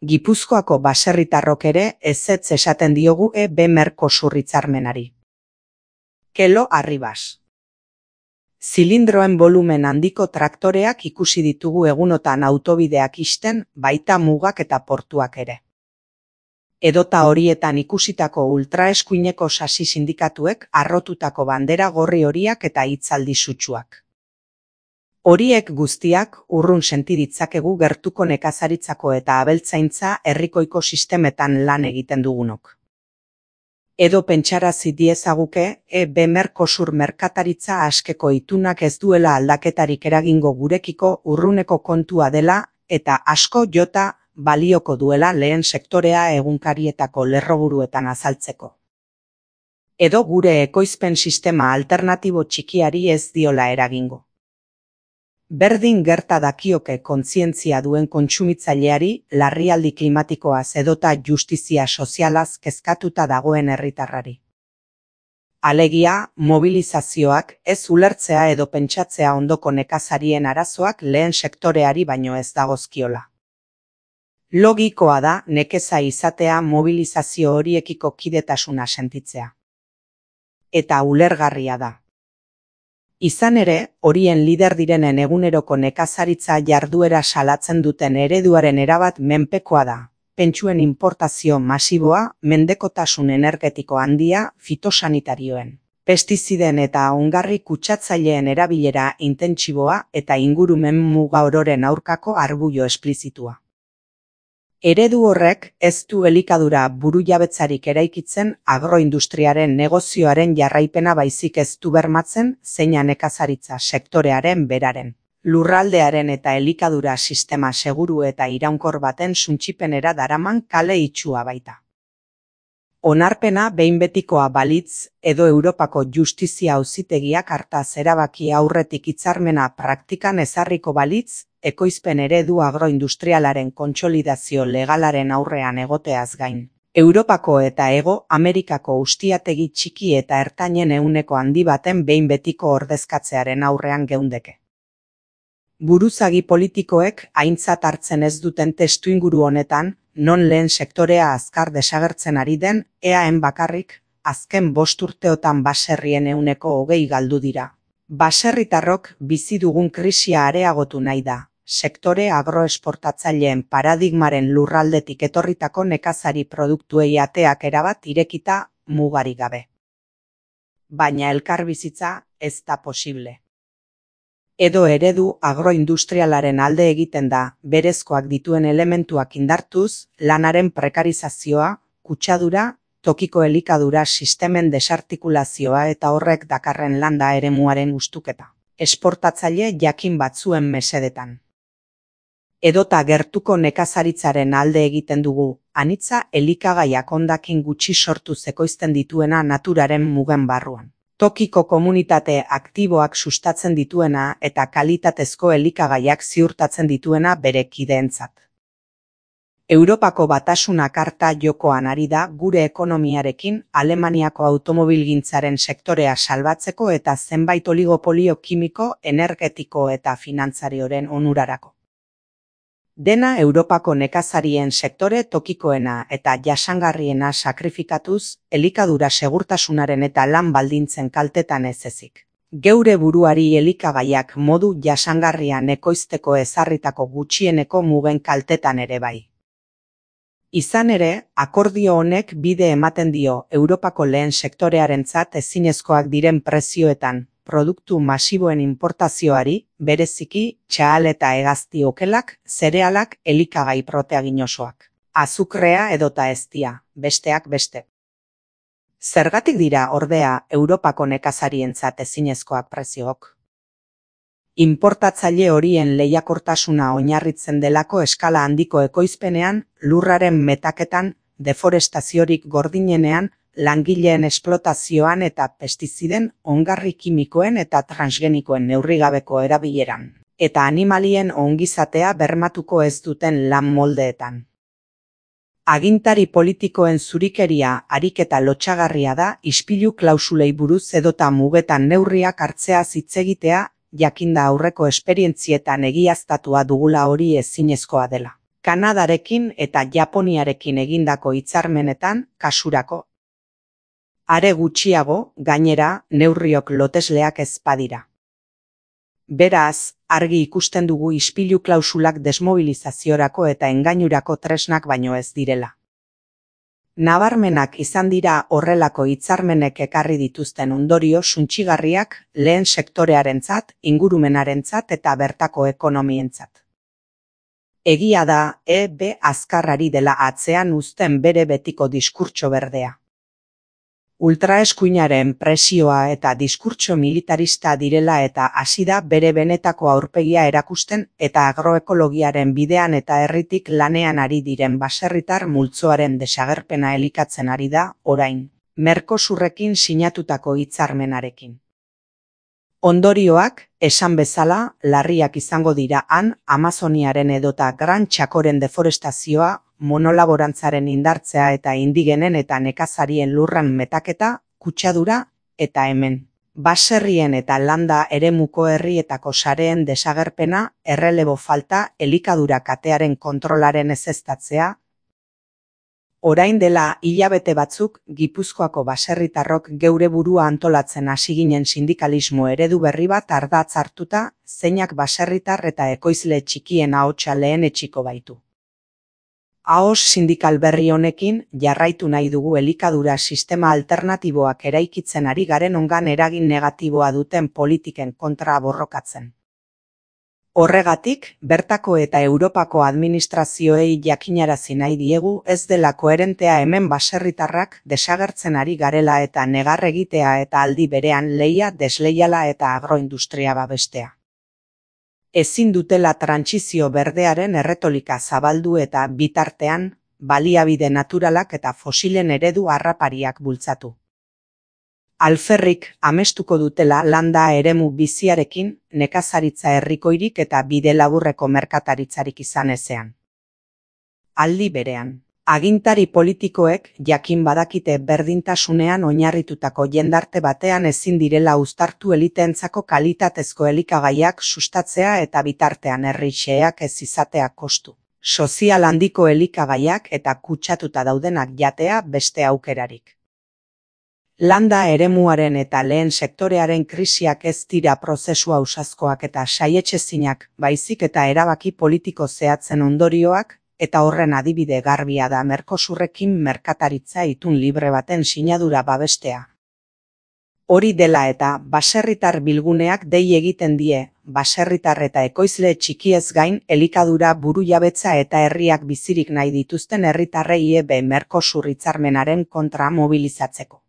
Gipuzkoako baserritarrok ere ezetz esaten diogu Mercosur hitzarmenari. Kelo Arribas. Zilindroen volumen handiko traktoreak ikusi ditugu egunotan autobideak ixten, baita mugak eta portuak ere. Edota horietan ikusitako ultraeskuineko sasi sindikatuek harrotutako bandera gorri horiak eta hitzaldi sutsuak. Horiek guztiak urrun senti ditzakegu gertuko nekazaritzako eta abeltzaintza herriko sistemetan lan egiten dugunok. Edo pentsarazi diezaguke Mercosur merkataritza askeko itunak ez duela aldaketarik eragingo gurekiko urruneko kontua dela eta asko jota balioko duela lehen sektorea egunkarietako lerroburuetan azaltzeko. Edo gure ekoizpen sistema alternatibo txikiari ez diola eragingo. Berdin gerta dakioke kontzientzia duen kontsumitzaileari, larrialdi klimatikoaz edota justizia sozialaz kezkatuta dagoen herritarrari. Alegia, mobilizazioak ez ulertzea edo pentsatzea ondoko nekazarien arazoak lehen sektoreari baino ez dagozkiola. Logikoa da nekeza izatea mobilizazio horiekiko kidetasuna sentitzea. Eta ulergarria da. Izan ere, horien lider direnen eguneroko nekazaritza jarduera salatzen duten ereduaren erabat menpekoa da. Pentsuen importazio masiboa, mendekotasun energetiko handia, fitosanitarioen, pestiziden eta ongarri kutsatzaileen erabilera intentsiboa eta ingurumen muga ororen aurkako argudio esplizitua. Eredu horrek ez du elikadura burujabetzarik eraikitzen agroindustriaren negozioaren jarraipena baizik ez du bermatzen zeina nekazaritza sektorearen beraren, lurraldearen eta elikadura sistema seguru eta iraunkor baten suntsipenera daraman kale itsua baita. Onarpena behin betikoa balitz edo Europako Justizia Auzitegiak hartaz erabaki aurretik hitzarmena praktikan ezarriko balitz, ekoizpen eredu agroindustrialaren kontsolidazio legalaren aurrean egoteaz gain. Europako eta Hego Amerikako ustiategi txiki eta ertainen ehuneko handi baten behin betiko ordezkatzearen aurrean geundeke. Buruzagi politikoek aintzat hartzen ez duten testuinguru honetan, non lehen sektorea azkar desagertzen ari den, eaen bakarrik, azken 5 urteotan baserrien ehuneko 20 galdu dira. Baserritarrok bizi dugun krisia areagotu nahi da. Sektore agroesportatzaileen paradigmaren lurraldetik etorritako nekazari produktuei ateak erabat irekita mugarik gabe. Baina elkarbizitza ez da posible. Edo eredu agroindustrialaren alde egiten da, berezkoak dituen elementuak indartuz, lanaren prekarizazioa, kutsadura, tokiko elikadura sistemen desartikulazioa eta horrek dakarren landa eremuaren ustuketa. Esportatzaile jakin batzuen mesedetan. Edota gertuko nekazaritzaren alde egiten dugu, anitza elikagaiak hondakin gutxi sortu ekoizten dituena naturaren mugen barruan. Tokiko komunitate aktiboak sustatzen dituena eta kalitatezko elikagaiak ziurtatzen dituena bere kideentzat. Europako Batasuna karta jokoan ari da gure ekonomiarekin Alemaniako automobilgintzaren sektorea salbatzeko eta zenbait oligopolio kimiko, energetiko eta finantzarioren onurarako. Dena Europako nekazarien sektore tokikoena eta jasangarriena sakrifikatuz, elikadura segurtasunaren eta lan baldintzen kaltetan ez ezik. Geure buruari elikagaiak modu jasangarrian ekoizteko ezarritako gutxieneko mugen kaltetan ere bai. Izan ere, akordio honek bide ematen dio Europako lehen sektorearentzat ezinezkoak diren prezioetan, produktu masiboen importazioari, bereziki, txahal eta hegazti okelak, zerealak, elikagai proteaginosoak. Azukrea edota eztia, besteak beste. Zergatik dira, ordea, Europako nekazarientzat ezinezkoak prezioak? Importatzaile horien lehiakortasuna oinarritzen delako eskala handiko ekoizpenean, lurraren metaketan, deforestaziorik gordinenean, langileen esplotazioan eta pestiziden, ongarri kimikoen eta transgenikoen neurrigabeko erabileran, eta animalien ongizatea bermatuko ez duten lan moldeetan. Agintari politikoen zurikeria ariketa lotsagarria da ispilu klausulei buruz edota mugetan neurriak hartzea hitzegitea, jakinda aurreko esperientzietan egiaztatua dugula hori ezinezkoa dela. Kanadarekin eta Japoniarekin egindako hitzarmenetan kasurako. Are gutxiago, gainera, neurriok lotesleak ez badira. Beraz, argi ikusten dugu ispilu klausulak desmobilizaziorako eta engainurako tresnak baino ez direla. Nabarmenak izan dira horrelako hitzarmenek ekarri dituzten ondorio suntsigarriak lehen sektorearentzat, ingurumenarentzat eta bertako ekonomientzat. Egia da, EB azkarrari dela atzean uzten bere betiko diskurtso berdea. Ultraeskuinaren presioa eta diskurtso militarista direla eta hasi da bere benetako aurpegia erakusten eta agroekologiaren bidean eta herritik lanean ari diren baserritar multzoaren desagerpena elikatzen ari da orain, Mercosurrekin sinatutako hitzarmenarekin. Ondorioak, esan bezala, larriak izango dira han Amazoniaren edota Gran Chacoren deforestazioa, monolaborantzaren indartzea eta indigenen eta nekazarien lurran metaketa, kutsadura, eta hemen. Baserrien eta landa eremuko herrietako sareen desagerpena, errelebo falta, elikadura katearen kontrolaren ezeztatzea. Orain dela hilabete batzuk, Gipuzkoako baserritarrok geure burua antolatzen hasi ginen sindikalismo eredu berri bat ardatz hartuta, zeinak baserritar eta ekoizle txikien ahotsa lehenetsiko baitu. Ahos sindikal berri honekin jarraitu nahi dugu elikadura sistema alternatiboak eraikitzen ari garen ongan eragin negatiboa duten politiken kontra borrokatzen. Horregatik, bertako eta Europako administrazioei jakinarazi nahi diegu ez dela koherentea hemen baserritarrak desagertzen ari garela eta negar egitea eta aldi berean lehia desleiala eta agroindustria babestea. Ezin dutela trantsizio berdearen erretolika zabaldu eta bitartean, baliabide naturalak eta fosilen eredu harrapariak bultzatu. Alferrik amestuko dutela landa eremu biziarekin, nekazaritza herrikoirik eta bide laburreko merkataritzarik izan ezean. Aldi berean, agintari politikoek jakin badakite berdintasunean oinarritutako jendarte batean ezin direla uztartu eliteentzako kalitatezko elikagaiak sustatzea eta bitartean herri xeheak ez izatea kostu. Sozial handiko elikagaiak eta kutsatuta daudenak jatea beste aukerarik. Landa eremuaren eta lehen sektorearen krisiak ez dira prozesu ausazkoak eta saietsezinak, baizik eta erabaki politiko zehatzen ondorioak, eta horren adibide garbia da Mercosurrekin merkataritza itun libre baten sinadura babestea. Hori dela eta baserritar bilguneak dei egiten die, baserritar eta ekoizle txikiez gain elikadura burujabetza eta herriak bizirik nahi dituzten herritarrei EB Mercosur hitzarmenaren kontra mobilizatzeko.